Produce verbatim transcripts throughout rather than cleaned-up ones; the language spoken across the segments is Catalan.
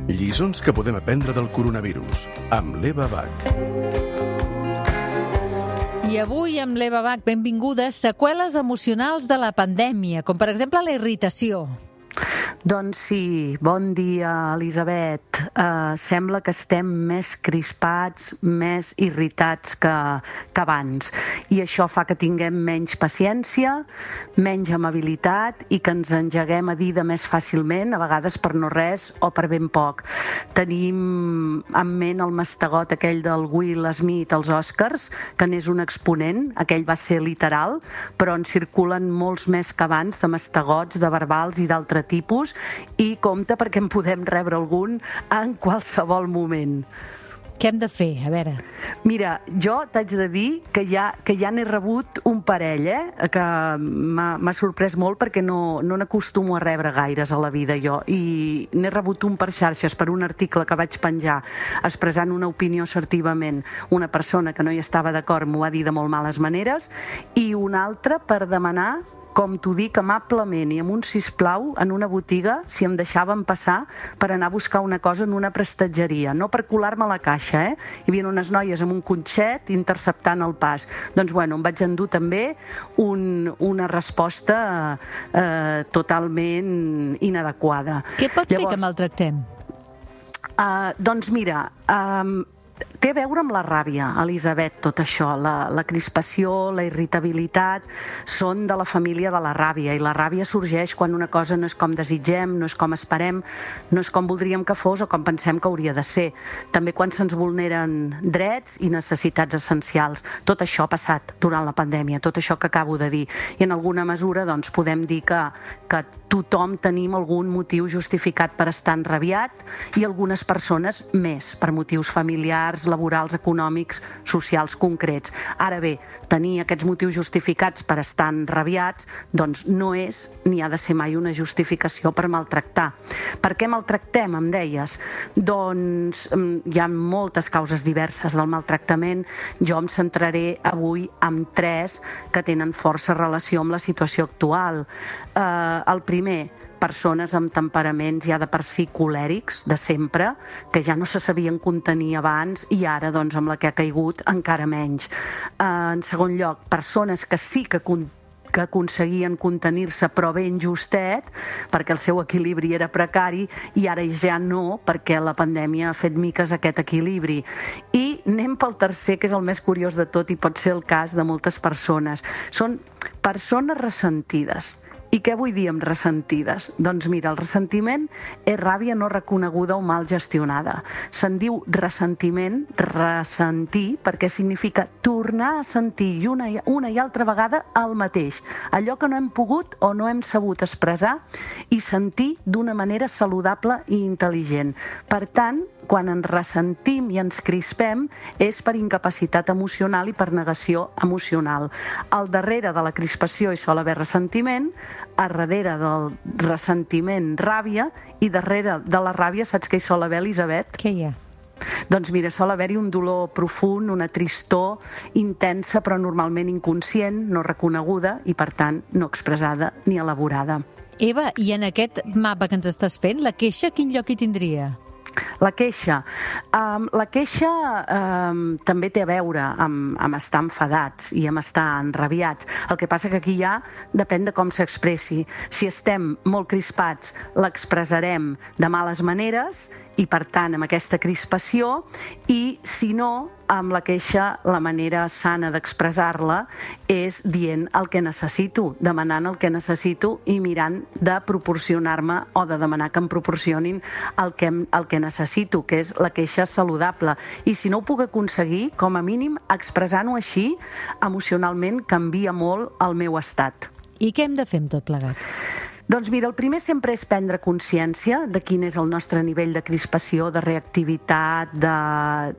Lliçons que podem aprendre del coronavirus, amb l'Eva Bach. I avui amb l'Eva Bach, benvingudes, seqüeles emocionals de la pandèmia, com per exemple la irritació. Doncs sí, bon dia, Elisabet. Uh, sembla que estem més crispats, més irritats que, que abans. I això fa que tinguem menys paciència, menys amabilitat i que ens engeguem a dir de més fàcilment, a vegades per no res o per ben poc. Tenim en ment el mastegot aquell del Will Smith als Oscars, que n'és un exponent, aquell va ser literal, però en circulen molts més que abans de mastegots, de verbals i d'altre tipus, i compte perquè en podem rebre algun en qualsevol moment. Què hem de fer? A veure. Mira, jo t'haig de dir que ja, que ja n'he rebut un parell, eh? Que m'ha sorprès molt perquè no, no n'acostumo a rebre gaires a la vida jo, i n'he rebut un per xarxes per un article que vaig penjar expressant una opinió assertivament. Una persona que no hi estava d'acord m'ho va dir de molt males maneres, i un altre per demanar, com t'ho dic, amablement i amb un sisplau, en una botiga, si em deixaven passar per anar a buscar una cosa en una prestatgeria, no per colar-me a la caixa, eh? Hi havia unes noies amb un cotxet interceptant el pas. Doncs bueno, em vaig endur també un, una resposta eh, totalment inadequada. Què pot Llavors, fer que maltractem? Uh, doncs mira... Um, Té a veure amb la ràbia, Elisabet, tot això. La, la crispació, la irritabilitat són de la família de la ràbia, i la ràbia sorgeix quan una cosa no és com desitgem, no és com esperem, no és com voldríem que fos o com pensem que hauria de ser. També quan se'ns vulneren drets i necessitats essencials. Tot això ha passat durant la pandèmia, tot això que acabo de dir. I en alguna mesura doncs, podem dir que, que tothom tenim algun motiu justificat per estar enrabiat, i algunes persones més, per motius familiars, laborals, econòmics, socials concrets. Ara bé, tenir aquests motius justificats per estar enrabiats doncs no és ni ha de ser mai una justificació per maltractar. Per què maltractem, em deies? Doncs hi ha moltes causes diverses del maltractament. Jo em centraré avui en tres que tenen força relació amb la situació actual. Eh, el primer, persones amb temperaments ja de per si colèrics, de sempre, que ja no se sabien contenir abans i ara, doncs, amb la que ha caigut, encara menys. En segon lloc, persones que sí que que aconseguien contenir-se però ben justet, perquè el seu equilibri era precari, i ara ja no, perquè la pandèmia ha fet miques aquest equilibri. I anem pel tercer, que és el més curiós de tot i pot ser el cas de moltes persones. Són persones ressentides. I què vull dir amb ressentides? Doncs mira, el ressentiment és ràbia no reconeguda o mal gestionada. Se'n diu ressentiment, ressentir, perquè significa tornar a sentir una, una i altra vegada el mateix. Allò que no hem pogut o no hem sabut expressar i sentir d'una manera saludable i intel·ligent. Per tant, quan ens ressentim i ens crispem és per incapacitat emocional i per negació emocional. Al darrere de la crispació hi sol haver ressentiment, a darrere del ressentiment ràbia, i darrere de la ràbia saps què hi sol haver, Elisabet? Què hi ha? Doncs mira, sol haver-hi un dolor profund, una tristor intensa però normalment inconscient, no reconeguda i per tant no expressada ni elaborada. Eva, i en aquest mapa que ens estàs fent, la queixa quin lloc hi tindria? La queixa. Um, la queixa um, també té a veure amb, amb estar enfadats i amb estar enrabiats. El que passa que aquí ja depèn de com s'expressi. Si estem molt crispats, l'expressarem de males maneres i, per tant, amb aquesta crispació, i, si no, amb la queixa, la manera sana d'expressar-la és dient el que necessito, demanant el que necessito i mirant de proporcionar-me o de demanar que em proporcionin el que, el que necessito, que és la queixa saludable. I si no ho puc aconseguir, com a mínim, expressant-ho així, emocionalment canvia molt el meu estat. I què hem de fer amb tot plegat? Doncs mira, el primer sempre és prendre consciència de quin és el nostre nivell de crispació, de reactivitat,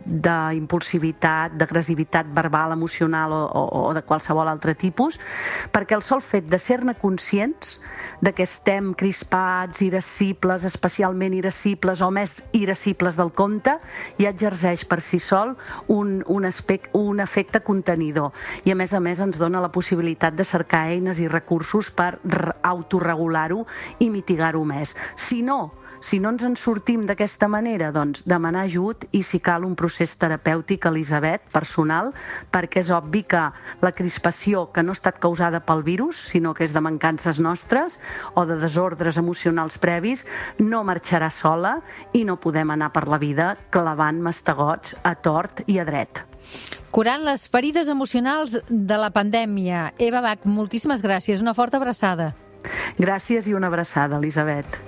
d'impulsivitat, d'agressivitat verbal, emocional o, o, o de qualsevol altre tipus, perquè el sol fet de ser-ne conscients de que estem crispats, irascibles, especialment irascibles o més irascibles del compte, ja exerceix per si sol un, un, aspecte, un efecte contenidor. I a més a més ens dona la possibilitat de cercar eines i recursos per autorregular i mitigar-ho més. Si no, Si no ens en sortim d'aquesta manera, doncs demanar ajut i, si cal, un procés terapèutic, Elisabet, personal, perquè és obvi que la crispació, que no ha estat causada pel virus, sinó que és de mancances nostres o de desordres emocionals previs, no marxarà sola i no podem anar per la vida clavant mastegots a tort i a dret. Curant les ferides emocionals de la pandèmia. Eva Bach, moltíssimes gràcies. Una forta abraçada. Gràcies i una abraçada, Elisabet.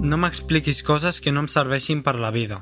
No m'expliquis coses que no em serveixin per la vida.